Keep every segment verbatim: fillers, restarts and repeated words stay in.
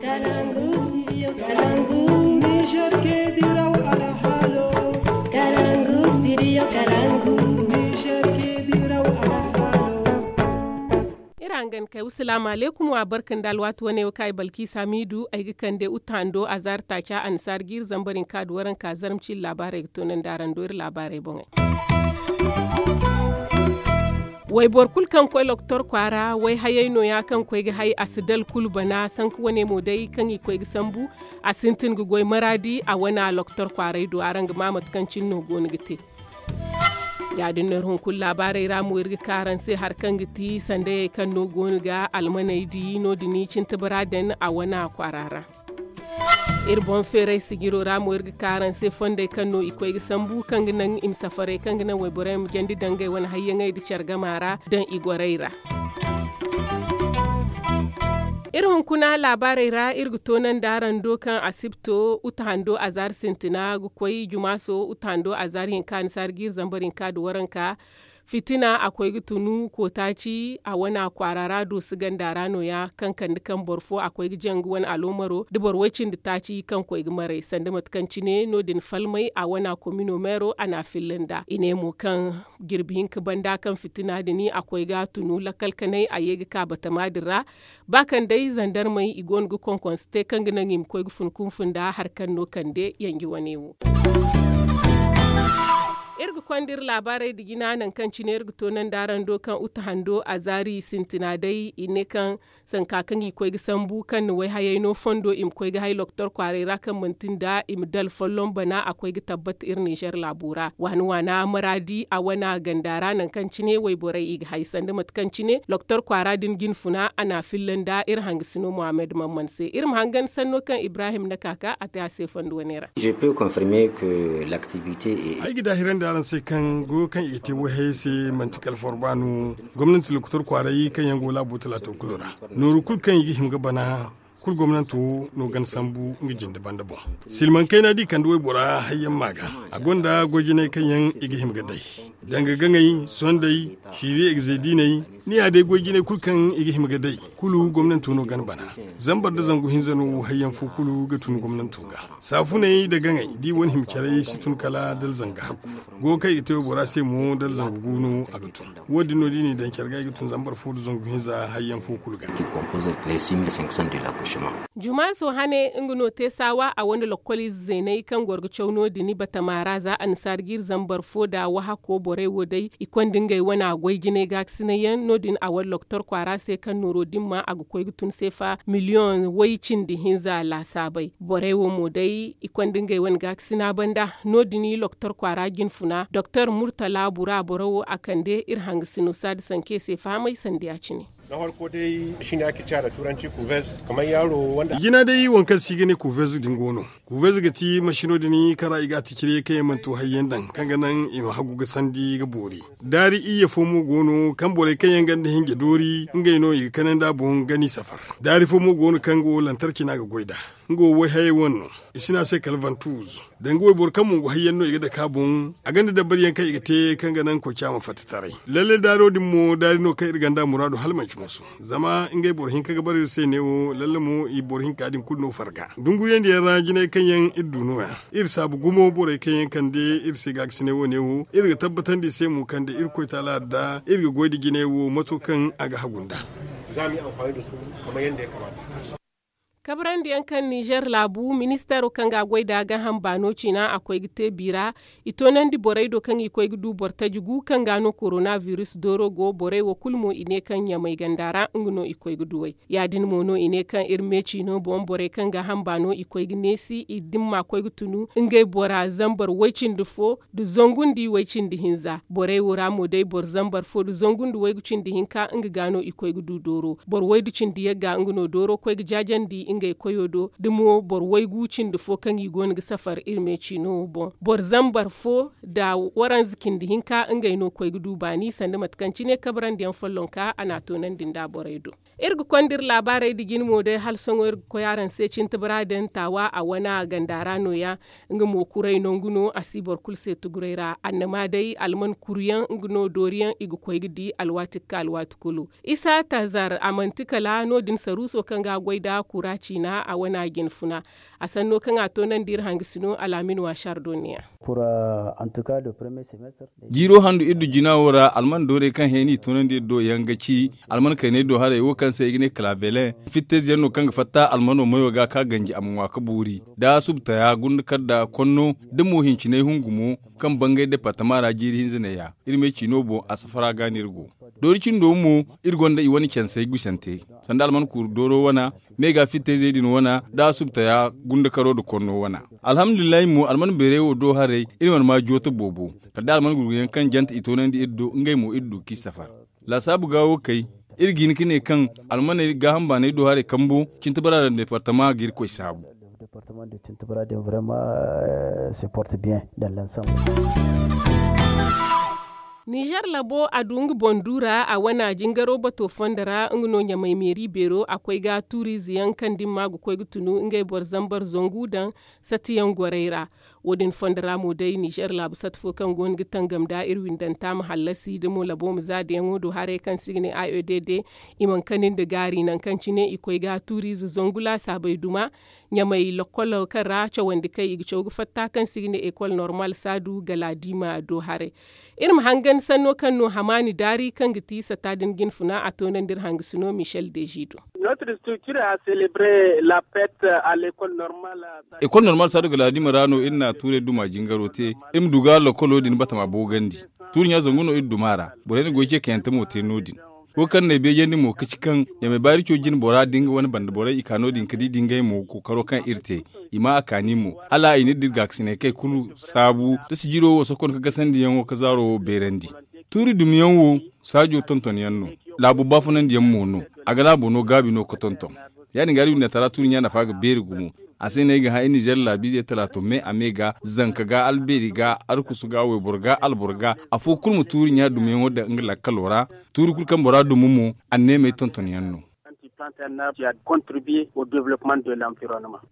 Kalangu studio kalangu. Niger ke diraw alhalo. Kalangu studio kalangu. Niger ke diraw alhalo. Iri hangan kay wasalaamu aleykum wa barka nda alwaati wane wo kaŋ ay balki samidu ay ga kande uta hando a zaari taaca annasaari ga iri zambar hinka da waranka zarma ciiri laabaarey ga toonandi araŋ do iri laabaarey boŋey. Wayboro kulu kaŋ koy loktor kwaara wayhayey nooya kaŋ koy ga hay a si dala kulu bana sanka wane mo day kaŋ i koy ga sambu. A sintin ga goy maraadi a wana loktor kwaaray do araŋ ga ma mate kaŋ cine no go no ga te. Ya- din no iri hunkuna laabaarey ra mo iri ga ka araŋ se hari kaŋ ga ti sandayey kaŋ no go no ga almaney di no- din i cintabara daŋ a wana kwaara ra. Iri boŋ feeray sijiro ra mo iri ga ka araŋ se fondey kaŋ no i koy ga sambu kaŋ ga naŋ i ma safarey kaŋ ga naŋ wayborey ma jandi daŋ ngey wane hayyaŋey nda care gama ra daŋ i gorey ra. Iri hunkuna laabaarey ra iri ga toonandi araŋ do kaŋ asibto uta hando azaari sintina ga koy jumaaso uta hando azaari hinka annasaari ga iri zambar hinka nda waranka. Fitina a koy ga tunu kootaaci a wana kwaara ra doosi ganda ra nooya kaŋ kande kaŋ boro fo a koy ga jaŋ ga wane aloomaro nda boro way-cindi taaci kaŋ koy ga maray sanda mate kaŋ cine no- din falmay a wana komino meero a n'a filla nd'a i ne mo kaŋ jirbi hinka banda kaŋ fitina din a koy ga tunu lakkal kanay a ye ga ka batama din ra. Ba kaŋ day zandarmey i go no ga konkonse te kaŋ ga naŋ i ma koy ga fun kunfu nda hari kaŋ no kande yanji wane wo. Iri ga konda iri laabaarey nda jina nangu kaŋ cine iri ga toonandi araŋ do kaŋ uta hando azaari sintina day i ne kaŋ sanka kaŋ i koy ga sambu kaŋ na wayhayey no fondo i ma koy ga hay loktor kwaaray ra kaŋ manti nda i ma dala folloŋ bana a koy ga tabbata iri nizer laabo ra waana waana maraadi a wana ganda ra nangu kaŋ cine wayborey i ga hay sanda mate kaŋ cine loktor kwaara din jinfuna a n'a filla nda iri hangasino mohammed mamman se iri ma hangan sanno kaŋ ibrahim na ka ka a te a se fondo wane ra. Ay ga daahirandi araŋ se kaŋ goyo kaŋ i ga te wayhayey se manti kala forba no. Gomnanti lokotor kwaaray kaŋ yaŋ go laabo talaato kulu ra nooru kulu kaŋ i ga hima ga bana. Kulu gomnanto no gana sambu nga jinde banda boŋ. Silmaŋ kayna da i kande waybora hayyaŋ ma ga a gonda goy jinay kaŋ yaŋ i ga hima ga day danga gaŋay, sondey, ciiri egze diiney. Ni ya day goy jinay kulu kaŋ i ga hima ga day kulu gomnanto no gana bana. Zambar nda zangu hinza no hayyaŋ fo kulu ga tun gomnanto ga. Saafuney nda gaŋey da i wane hima caray si tun kala dala zanga hakku. Go kaŋ i ga te waybora se mo dala zangu gu no a ga tun. Wo- din no da i n'i daŋ care ga i ga tun zambar fo nda zangu hinza hayyaŋ fo kulu ga. Jumaaso hane nga no te saawa a wane lokkol ize zeeney kaŋ goro ga caw no- din batama ra za annasaari ga iri zambar fo nda wahako borey wo day i konda ngey wane a goy jinay gaakasinay yaŋ no- din a wane loktor kwaara se kaŋ nooro dimma a ga koy ga tun seefa miliyoŋ way cindi hinza laasaabey borey wo mo day i konda ngey wane gaakasina banda. No- din i loktor kwaara jinfuna doktor murtala bura boro wo a kande iri hangasino saadi sanke se fahamay sanda ya- cine. Jina day waŋ kaŋ se i ga ne kuvezu din go no. Kuvezu ga ti masino din kaŋ ra i ga a ti cire kaŋ yaŋ mana to hayyaŋ daŋ kaŋ ga naŋ i ma hagu ga sandi ga boori. Daari iyye fo mo go no kaŋ borey kaŋ yaŋ ganda hinja doori ngey no i ga kanandi a boŋ gani safar. Daari fo mo go no kaŋ go lantarki no a ga goy nd'a. Nga wo wayhayey wane no. I si ne a se kala vantuz. Danga wayboro kaŋ mo go hayyaŋ no i ga dake a boŋ. A gonda dabariyaŋ kaŋ i ga te kaŋ ga naŋ koy caama fatta taray. Lalle daaro din mo daari no kaŋ iri gonda muraadu hala manci moso. Zama ngey boro hinka ga bara iri se neewo lalle mo i boro hinka din kulu no farga dunguriyandiyaŋ ra jinay kaŋ yaŋ iri du no- ya. Iri saabu gumo borey kaŋ yaŋ kande iri se gaakasinay wo- ne wo iri ga tabbatandi i se mo kande iri koy taala adda iri ga goy nda jinay wo mato kaŋ a ga hagu nd'a. Kabarandiyaŋ kaŋ nizer laabu ministeero kaŋ ga a goy nd'a gaaham baano ciina a koy ga te biira. I toonandi borey do kaŋ i koy ga du boro taji gu kaŋ ga no korona biris dooro go borey wo kulu mo i ne kaŋ ɲamay ganda ra nga no i koy ga duw'ey. Ya- din mo no i ne kaŋ iri me ciino boŋ borey kaŋ gaaham baano i koy ga neesi i dimma koy ga tunu ngey bora zambar way- cindi fo nda zangu nda way- cindi hinza. Borey wo ra mo day boro zambar fo nda zangu nda waygu cindi hinka nga ga no i koy ga du dooro. Boro waydu cindi yagga nga no dooro koy ga jaajandi ngey koyo do da mo boro waygu cindi fo kaŋ i go no ga safar iri me ciino wo boŋ. Boro zambar fo nda waranza cindi hinka ngey no koy ga du baani sanda mate kaŋ cine kabarandiyaŋ follonka a n'a toonandi nda borey do. Iri ga konda iri laabaarey nda jine mo day hala sohõ iri ga koy araŋ se cintabara din taawa a wana ganda ra no- ya. Nga mo kuray nangu no a si boro kulu se tuguray ra annama day alman kuruyaŋ nga no dooriyaŋ i ga koy ga di alwaati ga ka alwaati kulu. Isa tazar a manti kala no- din saruuso kaŋ ga a goy nda kura. ciina a wane a jinfuna. A sanno kaŋ a toonandi iri hangasino alaamin waasar do neeya. Jiiro handu iri du jina wo ra alman doorey kaŋ hẽ no i toonandi iri do yaŋ ga ci alman kayney do haray wo kaŋ se i ga ne kalaabelen. Fittayze yaŋ no kaŋ ga fatta almano mayo ga ka ganji a ma ŋwa ga boori da subtaya gunda kar da konno da mo hincinay hungumo kaŋ bangay departama ra jiiri hinza neeya. Iri me ciino boŋ a safara ga no iri go doori cindo mo iri gonda i wane cansey gusante sanda alman kuuru dooro wana me ga fittayzey din wana da subtaya gundakaro nda konno wana. Alhamdulillahi mo alman beeray wo do haray iri mana ma jooto boobo kala da alman gurguyaŋ kaŋ jante i toonandi iri do ngey mo iri du k'i safar. Laasaabu ga wo kay iri ga hin ga ne kaŋ almaney gaaham baanay do haray kambo cintabara nda departama ga iri koy saabu. Nizer labo a du nga boŋ du ra a wana jingaro bato fondo ra nga no ɲamay meeri beero a koy ga tuuriize yaŋ kaŋ da ni ma ga koy ga tunu ngey boro zambar zangu daŋ satiyaŋ gorey ra. Wo- din fondo ra mo day nizer laabu sata fo kaŋ go no ga tangam nda iri windanta ma hallasi da mo labo ma za dayaŋo do haray kaŋ se i ga ne a e d d i mana kani nda gaari nangu kaŋ cine i koy ga tuuriize zangu laasaabey duma ɲamay lokolo kaŋ ra cawandi kay i ga caw ga fatta kaŋ se i ga ne ekol normal saadu galaadima do haray. Iri ma hangan sanno kaŋ no hamaani daari kaŋ ga ti sata din jinfuna a toonandi iri hangasino michel dezido. Ekol normal saadu galaadima ra no iri na tuurey duma jingaro te iri ma du ga lokolo din batama boogandi. Tuuri ɲa zangu no iri duma ra borey na goy ce kayante mo te no- din. Wo kaŋ n'ay beejandi mo ga ci kaŋ ɲamay baari co jine bora da nga wane banda borey i ka no- din ga di da ngey mo kookaro kaŋ iri te i ma a kaani mo hala i na iri da iri gaakasinay kay kulu saabu da sijiro wo sokon ga gasandiyaŋo ga zaaro wo beerandi. Tuuri dumiyaŋ wo saajo tontonyaŋ no. Laabo baafunandiyaŋ mo no. A ga laabo no gaabi no ga tonton. Ya- din ga iri windanta ra tuuri ɲa nafa ga beeri gumo. A se no ay ga hã iri nizer laabiizey talaato me a me ga zanka ga albeeri ga arkusu ga wayboro ga alboro ga afo kulu ma tuuri ɲa dumiyaŋo daŋ nga lakkalo ra. Tuuri kulu kaŋ bora dumi mo anneemey tontonyaŋ no.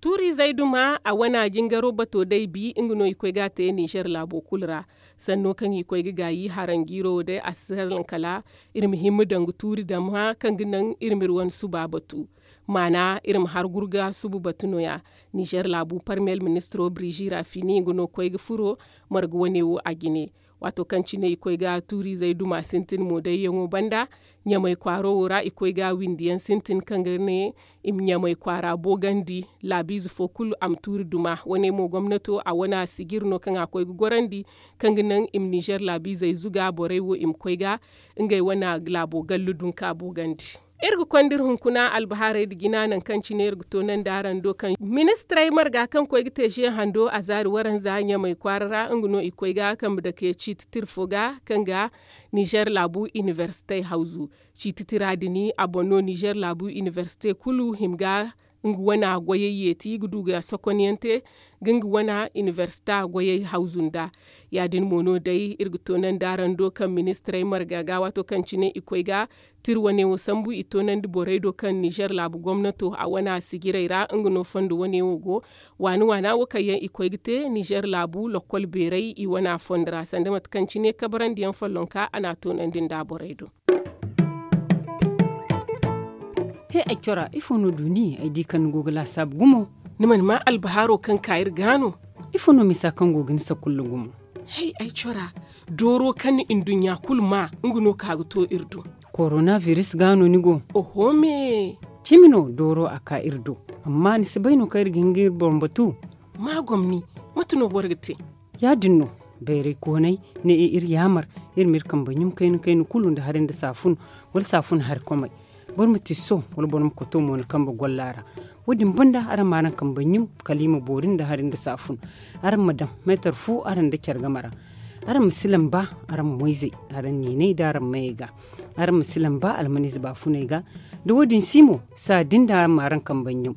Tuuriizey duma a wana jingaro bato day bi nga no i koy ga a te nizer laabo kulu ra. Sanno kaŋ i koy ga gaayi haranjiiro wo day a si salaŋ kala iri ma himma daŋ ga tuuri dama kaŋ ga naŋ iri ma iri wane suba batu. Maana iri ma har gurga suba batu no- ya. Nizer laabu parmiyel ministiro birizi rafini nga no koy ga furo marga wane wo a jine. Waato kaŋ cine i koy ga tuuriizey duma sintin mo dayyaŋo banda ɲamay kwaaro wo ra i koy ga windiyaŋ sintin kaŋ ga ne i ma ɲamay kwaara boogandi laabiize fo kulu a ma tuuri duma wane mo gomnato a wane a sijir no kaŋ a koy ga gorandi kaŋ ga naŋ i ma nizer laabiizey zuga borey wo i ma koy ga ngey wane laabo gallu dunka boogandi. Iri ga konda iri hunkuna albahaarey nda jina nangu kaŋ cine iri ga toonandi araŋ do kaŋ ministirey marga kaŋ koy ga te ze hando a zaari waranza ɲamay kwaara ra nga no i koy ga kambe dake ciiti tira fo ga kaŋ ga nizer laabu inibersite hawzu. Ciiti tira din a boŋ no nizer laabu inibersite kulu hima ga nga wana goyey yeeti ga du ga sokonyaŋ te ga nga wana inibersita goyey hawzu nda. Ya- din mo no day iri ga toonandi araŋ do kaŋ ministirey marga ga waato kaŋ cine i koy ga tira wane wo sambu i toonandi borey do kaŋ nizer laabu gomnato a wana sijirey ra nga no fondo wane wo go. Waana waana wo kaŋ yaŋ i koy ga te nizer laabu lokkol beerey i wana fondo ra sanda mate kaŋ cine kabarandiyaŋ follonka a n'a toonandi nda borey do. He ay cora ifo no du ni ay di kaŋ ni go ga laasaabu gumo? Ni mana maa albahaaro kaŋ ka iri ga no? Ifo no misa kaŋ go ga ni sakulla gumo? Hay ay cora dooro kaŋ ni nduɲɲa kulu maa nga no ka ga to iri do. Korona biris ga no ni go? Oho me. Cimi no dooro a ka iri do. Amma ni si bay no kaŋ iri ga hin ga iri boŋ batu? Ma gomni. Mate no boro ga te? Ya- din no. Bayray koonay ne iri yaamar iri ma iri kambe ɲum kayna kayna kulu nda hari nda saafun wala saafun hari komey. Boro ma tiso wala boro ma koto mo ni kambe golla ra. Wo- din banda araŋ ma araŋ kambe ɲum kala i ma boori nda hari nda saafun. Araŋ ma daŋ meetar fu araŋ nda care game ra. Araŋ ma si lamba araŋ moyzey araŋ niiney nda araŋ mayey ga. Araŋ ma si lamba almaniize baafuney ga. Da wo- din si mo saa din da araŋ ma araŋ kambe ɲum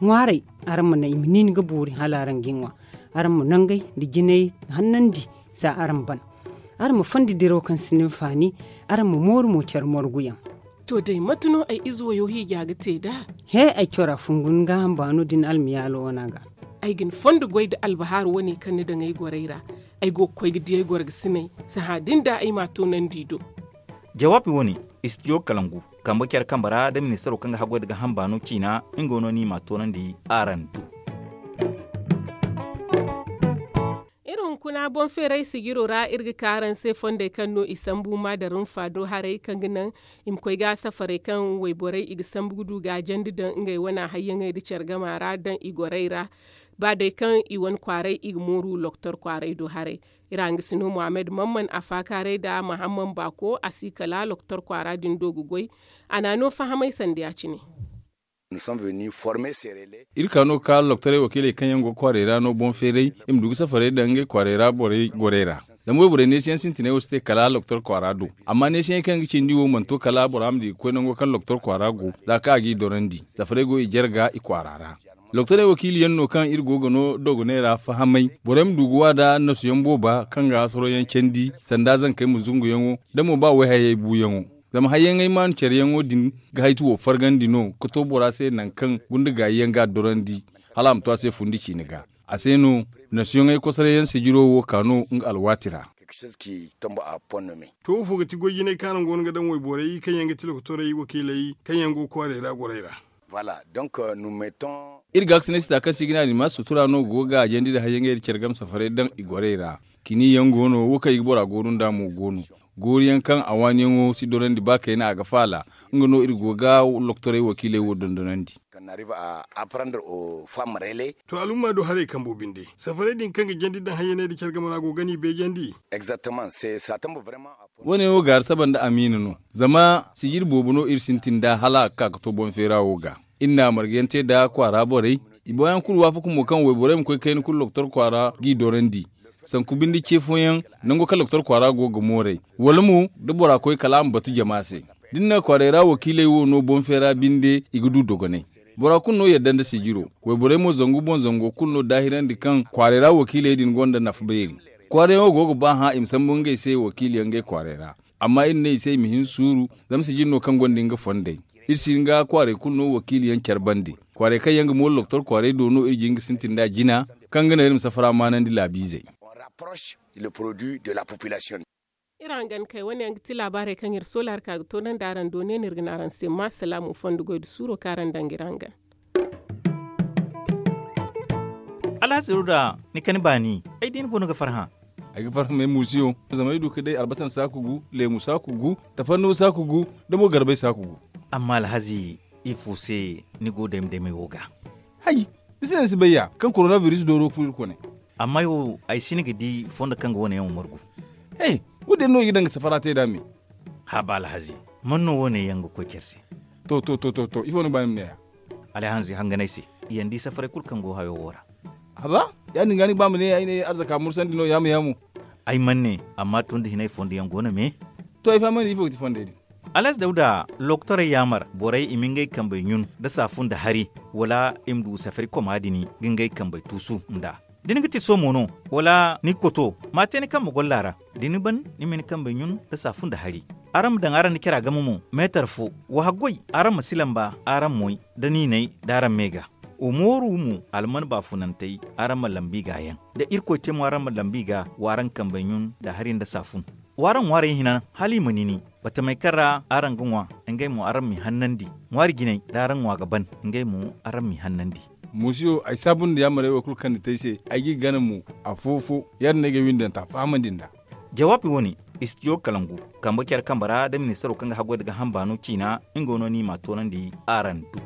ŋwaaray. Araŋ ma naŋ i ma niini ga boori hala araŋ ga i ŋwa. Araŋ ma nangey nda jinay hannandi za araŋ ban. Araŋ ma fondi diraw kaŋ sinda hinfaani. Araŋ ma mooru mo care morguyaŋ. To day mate no ay ize wayo hiija ga te nd'a? He ay cora fungu ni gaaham baano da ni almiyaalo wana ga. Ay ga ni fondo goy nda albahaaru wane kaŋ ni daŋ ay gorey ra. Ay go ga koy ga di ay gorgasiney sahã din da ay m'a toonandi i do. Jawaabi wane, istidiyo kalangu. Kambe care kambe ra da ministaro kaŋ ga haggoy nda ga hamba no ciina nga no no i m'a toonandi araŋ du. Iri hunkuna boŋ feeray sijiro ra iri ga ka araŋ se fondey kaŋ no i sambu ma da rumfa do haray kaŋ ga naŋ i ma koy ga safarey kaŋ wayborey i ga sambu ga du gaajandi daŋ ngey wane hayyaŋey nda care gama ra daŋ i gorey ra. Ba day kaŋ i wane kwaaray i ga mooru loktor kwaaray do haray. Iri hangasino muhammad mamman a faakaaray nda mahamman baako a si kala loktor kwaara din do ga goy. A n'a no fahamay sanda ya- cine. Iri ka no ga ka loktorey wakiiley kaŋ yaŋ go ga kwaaray ra no boŋ feeray i ma du ga safarey daŋ ngey kwaaray ra borey gorey ra. Zama wayborey neesiyaŋ sintinay wo si te kala loktor kwaara do. Amma neesiyaŋey kaŋ yaŋ ga cindi wo mana to kala bora ma di ga koy nango kaŋ loktor kwaara go za kaŋ a g'i dorandi. Safarey go i jarga i kwaara ra. Loktorey wakiili yaŋ no kaŋ iri go ga no dogoney ra fahamay borey ma du ga wa nda annasuyaŋ booba kaŋ ga hasaro yaŋ candi sanda zankey ma zungu yaŋo da mo ba wayhayey buuyaŋo. Zama hayyaŋey maanu care yaŋo din ga haytu wo fargandi no ga to bora se nangu kaŋ gunda gaayi yaŋ ga a dorandi hala a ma to a se fundi ciine ga. A se no nasuyaŋey kosoray yaŋ sijiro wo ka no nga alwaati ra. To wo fo ga ti goy jinay kaŋ araŋ go no ga daŋ wayborey kaŋ yaŋ ga ti lokotorey wakiiley kaŋ yaŋ go ga kwaaray ra gorey ra. Iri gaakasinay sita kaŋ se i ga ne a din ma sutura no go ga gaajandi nda hayyaŋey nda care game safarey daŋ i gorey ra. Kini yaŋ go no wo kaŋ i ga bora gooru nd'a mo go no. Gooru yaŋ kaŋ a waani yaŋo si dorandi ba kayna a ga faala. Nga no iri go ga lokotorey wakiiley wo dondonandi. To alumma do haray kambo binde safarey din kaŋ ga jandi daŋ hayyaney nda care game ra go ga ni beejandi. Wo- ne wo gaari saba nda amiina no. Zama sijiri boobo no iri sintin nd'a hala a ga ka ga to boŋ feera wo ga. Iri na marga yaŋ te nda kwaara borey. I boŋ yaŋ kulu waafaku mo kaŋ wayborey ma koy kayna kulu lokotor kwaara g'i dorandi. Sanku binde ce fooyaŋ nango kaŋ lokotor kwaara go ga mooray wala mo da bora koy kala a ma batu jama se. Da ni na kwaaray ra wakiiley wo no boŋ feera binde i ga du dogonay. Bora kulu no yadda nda sijiro. Wayborey mo zangu boŋ zango kulu no daahirandi kaŋ kwaaray ra wakiiley din gonda nafa beeri. Kwaarayaŋo go ga ba hã i ma sambu ngey se wakiiliyaŋ ngey kwaaray ra. Amma iri ne i se i ma hin suuru. Zama sijiri no kaŋ gonda nga fondey. Iri si hin ga kwaaray kulu no wakiiliyaŋ care bande. Kwaaray kaŋ yaŋ ga mooru lokotor kwaaray do no iri jin ga sintin nd'a jina kaŋ ga naŋ iri ma safara maanandi laabiizey. Iri hangan kay wane yaŋ ga ti laabaarey kaŋ iri soola hari ka ga toonandi araŋ do ne no iri ga ne araŋ se ma salaamu fondo goy nda suuro kaŋ araŋ daŋ ga iri hangan. Alhazi ruda, ni kani baani ay di ni goono ga farhã. Ay ga farhã may muusiyo zama ay du ga day albasa saaku gu, leemu saaku gu, tafannuwa saaku gu, da mo garbay saaku gu. Amma alhazi, ifo se ni go dayma daymay wo ga? Hay, ni si naŋ ni si bay ya kaŋ korona biris dooro ga furo iri kone. Amma ay wo ay si ni ga di fondo kaŋ ga wane yaŋ wo margu. He, wo- din no i ga daŋ ga safara te nd'a me. Haba alhazi, man no wane yaŋ ga koy care se? To to to to to ifo no ga ba ni ma ne ya? Alhazi hanganay se, i yaŋ di safaray kulu kaŋ go hayo wo ra. Haba, ya- din ga ni ga ba ma ne ay ne arzaka mursandi no yaamu yaamu. Ay mana ne, amma tun da hinay fondo yaŋ go no me. To ay fahamandi ifo ga ti fondey din? Alhazi dawda, lokotorey yaamar borey i ma ngey kambey ɲun nda saafun nda hari, wala i ma du safari koma din ga ngey kambey tuusu nd'a. Da ni ga ti soomo no, wala ni ga koto, ma a te ni kambe golla ra. Da ni ban, ni ma ni kambey ɲun nda saafun nda hari. Araŋ ma daŋ araŋ nda cara game mo meetar fo. Wa haggoy, araŋ ma si lamba araŋ moy nda niinay, da araŋ me ga. Wa mooru mo alman baafunantey, araŋ ma lambu i ga yaŋ. Da irkoy te mo araŋ ma lambu i ga, wa araŋ kambey ɲun nda hari nda saafun. W'araŋ ŋwaarey hina hala i ma nini. Batamey kaŋ ra araŋ ga ŋwa, ngey mo araŋ m'i hannandi. Ŋwaari jinay da araŋ ŋwa ga ban, ngey mo araŋ m'i hannandi. Muusiyo, ay saabu nda yaamarey wo kulu kaŋ ni te ay se. Ay g'i gana mo afo-fo. Ya- din no ay ga ay windanta fahamandi nd'a. Jawaabi wo- ne, istidiyo kalangu, kambe care kambe ra da ministaro kaŋ ga haggoy nda ga hamba no ciina, nga no no i m'a toonandi araŋ do.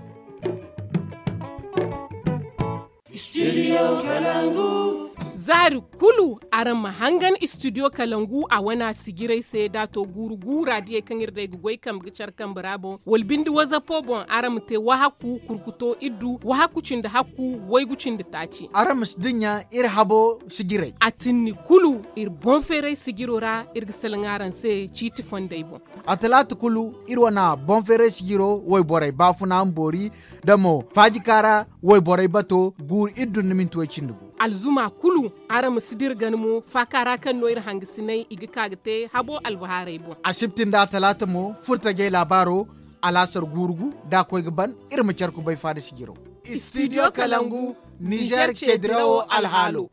Zaari kulu araŋ ma hangan istidiyo kalangu a wana sijirey se da a to guuru guura diyey kaŋ iri day ga goy kambe ga care kambe ra boŋ wala binde wazapo boŋ araŋ ma te wahakku kurkuto iddu wahakku cindi hakku waygu cindi taaci. Araŋ ma si dinya iri habo sijirey. A tinni kulu iri boŋ feeray sijiro ra iri ga salaŋ araŋ se ciiti fondey boŋ. A talaata kulu iri wana boŋ feeray sijiro wayborey baafuna ma boori da mo faajika ra wayborey bato guuru iri dun ni minti way cindi gu. Alzuma kulu araŋ ma si dira gana mo faaka ra kaŋ no iri hangasinay i ga ka ga te habo albahaarey boŋ. Asibti nda talaata mo furtajey laabaaro alaasar guuru gu da a koy ga ban. Iri ma care kubay faada sijiro. Istidiyo kalangu, nizer ce dirawo alhaalo.